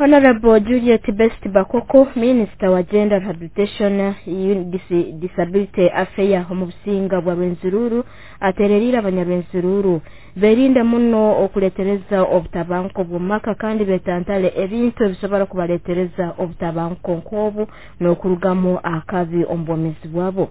Honorable Juliet Best Bakoko, Minister wa Gender Rehabilitation, Disability Affairs omu businga bwa Rwenzururu, atereriire abanyarwenzururu berinde muno okuletereza obutabanguko bw'omumaka kandi betantale ebintu ebisobora kubaletereza obutabanguko nk'obu n'okurugamu akabi omu bwomeezi bwabo.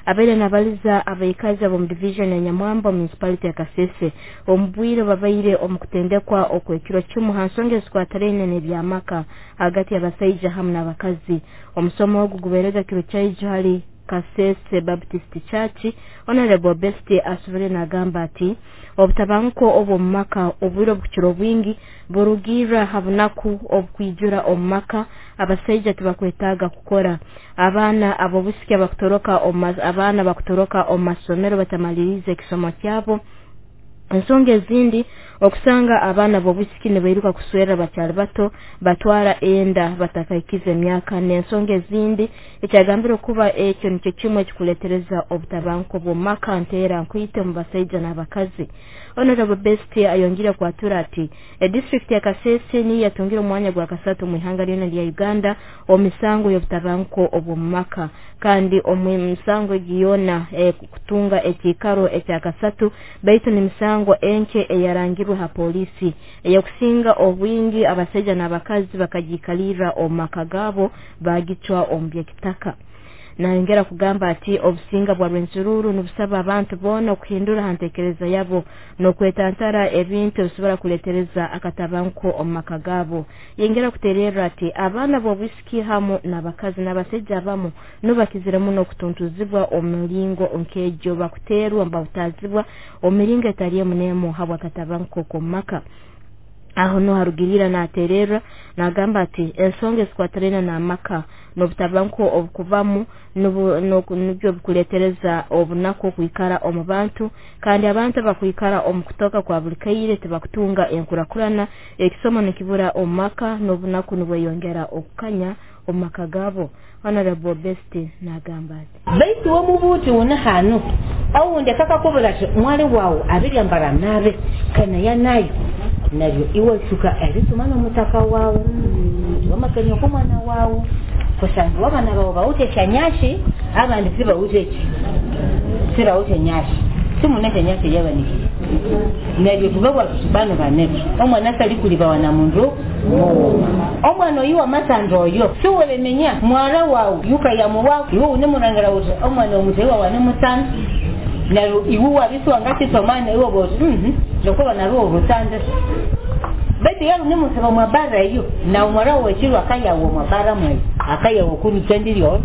Abaire nabaliza abaikazi ab'omu division ya Nyamwamba municipality ya Kasese omu bwire babaire omu kutendekwa okw'ekiro kimu ha nsonga ezikwatiraine n'ebyamaka hagati y'abasaija hamu n'abakazi. Omusomo ogu gubairega kiro kyaijo hali Kasese Baptist Church. Honorable Best asubire nagamba ati obutabanguko obw'omu maka obwire obukukira obwingi burugirra ha bunaku obukwijura omu maka. Abasaija tibakwetaaga kukora, abaana ab'obusiki abakutoroka abaana bakutoroka omu masomero batamaliriize ekisomo kyabo. Ensonga ezindi okusanga abaana b'obwisiki nibairuka kuswerra bakyali bato, batwara enda batakaikize emyaka, n'ensonga ezindi. Ekyagambire okuba ekyo nikyo kimu ekikuletereza obutabanguko bw'omu maka nteera nkwite omu basaija n'abakazi. Honorable Best ayongire kwatura ati edistrict ya Kasese niyo yatungire omwanya gwa kasatu omu ihanga lyona lya Uganda omu misango y'obutabanguko obw'omu maka, kandi omu misango egi yoona kutunga ekiikaro ekya kasatu, baitu n'emisango enkye eyarangirwe ha polisi eyokusinga obwingi abasaija n'abakazi bakagiikalirra omu maka gaabo bagicwa omu by'ekitaka. Nayongera kugamba ati obusinga bwa Rwenzururu nibusaba abantu boona okuhindura ha ntekereza yabo n'okwetantara ebintu ebisobora kuletereza akatabanguko omu maka gaabo. Yongera kutererra ati abaana b'obwisiki hamu n'abakazi n'abasaija abamu nubo bakizire muno okutuntuzibwa omu miringo nk'egyo, bakuteerwa nibahutaazibwa omu miringo etali emu n'emu habw'akatabanguko k'omu maka. Aho nuho harugiriira natererra nagamba ati ensonga ezikwatiraine n'amaka n'obutabanguko obukubamu nibyo bikuletereza obunaku okwikara omu bantu, kandi abantu abakwikara omu kutoka kwa buli kaire tibakutunga enkurakurana, ekisomo nikibura omu maka n'obunaku nibweyongera okukanya omu maka gaabo. Honorable Best nagamba ati baitu womubuuti wona hanu awundi akakakubura ati mwali wawu abiryambara nabe kanaya nayo naryo iwe suka erisoma n'omutaka wawu wamakenya okumwana wawu kusanga abana bawe bawute kyanyashi abandi sibawute ki sibawute nyashi simunete nyashi yabanikiye neryo tubawa bano banetu omwana sali kulibawa na mundu omwana oyu wamasando oyo siwelemenya mwara wawu yuka ya muwaku iwe unemurangira uti omwana omutewa wanemusanda neryo iwe wabisiwa ngatisomane iwe boti lokuba narwo orusanze baitu yali nimusaba mwabara eyo na omwara wekirwa akayawo mwabara mwe akayawo kurutendiriyo.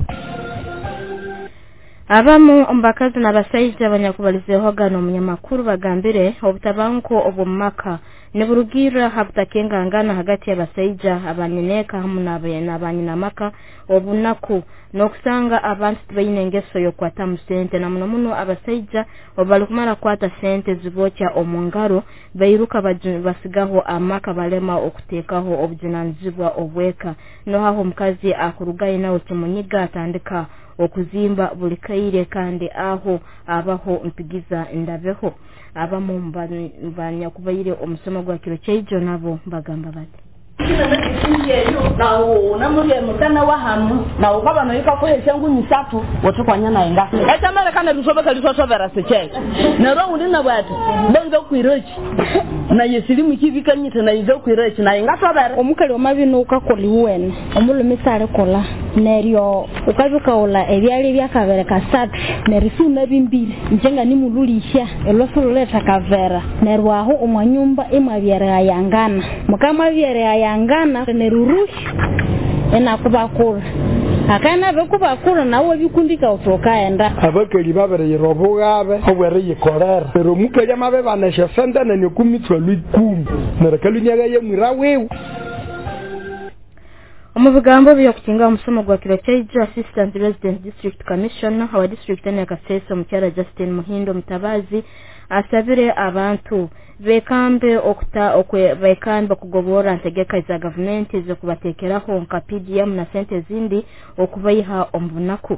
Abamu omu bakazi n'abasaija abanyakubalizeehoga n'omunyamakuru bagambire obutabanguko obw'omu maka niburugirra ha butakengangana hagati y'abasaija abanyineeka hamu n'abanyinamaka, obunaku n'okusanga abantu tibaine engeso y'okukwatamu sente, na muno muno abasaija obu barikumara kukwata sente zibokya omu ngaro bairuka basigaho amaka balema okuteekaho obujunanizibwa obweka. Nohaho omukazi akurugayo nawe kimunyiga atandika okuzimba buli kaire kandi aho abaho mpigiza ndabeho. Abamu banyakubaire omusomo gwa kiro kyaijo nabo bagamba bati namutana wa hanu na ukaba noyika kuhesha ngumi satu watukwanya naye nga echamerekana bisobeka lisosovera secheche nero undi na bwati benze kwirochi na yesilimu kibikanyita na yize kwirochi na ingasovera omukali omabino ukakola iwene omulume sale kola neryo ukabikaola ebyali byakabere kasatu nerisuna bimbiri njenga nimululisha elosololeta kavera neryo aho omwanyumba imwabyereyangana mukamwabyereyangana nerurushi enakubakura akana bekubakura nawe bikundika utokaenda abakeli babereyera obugabe obweriyikorera pero mukeli amabebanesha sente nenyokumitswa lwikumi neryo kalunyaga yemwira wiwe. Omu bigambo by'okukinga omusomo gwa kiro kyaijo, Assistant Resident District Commissioner wa district ya Kasese omukyara Justin Muhindo Mutabazi asabire abantu bekambe okuta okwe bekambe kugobora ntegeka za gavumenti zokubatekeraho nka PDM na sente zindi okubaiha omubunaku.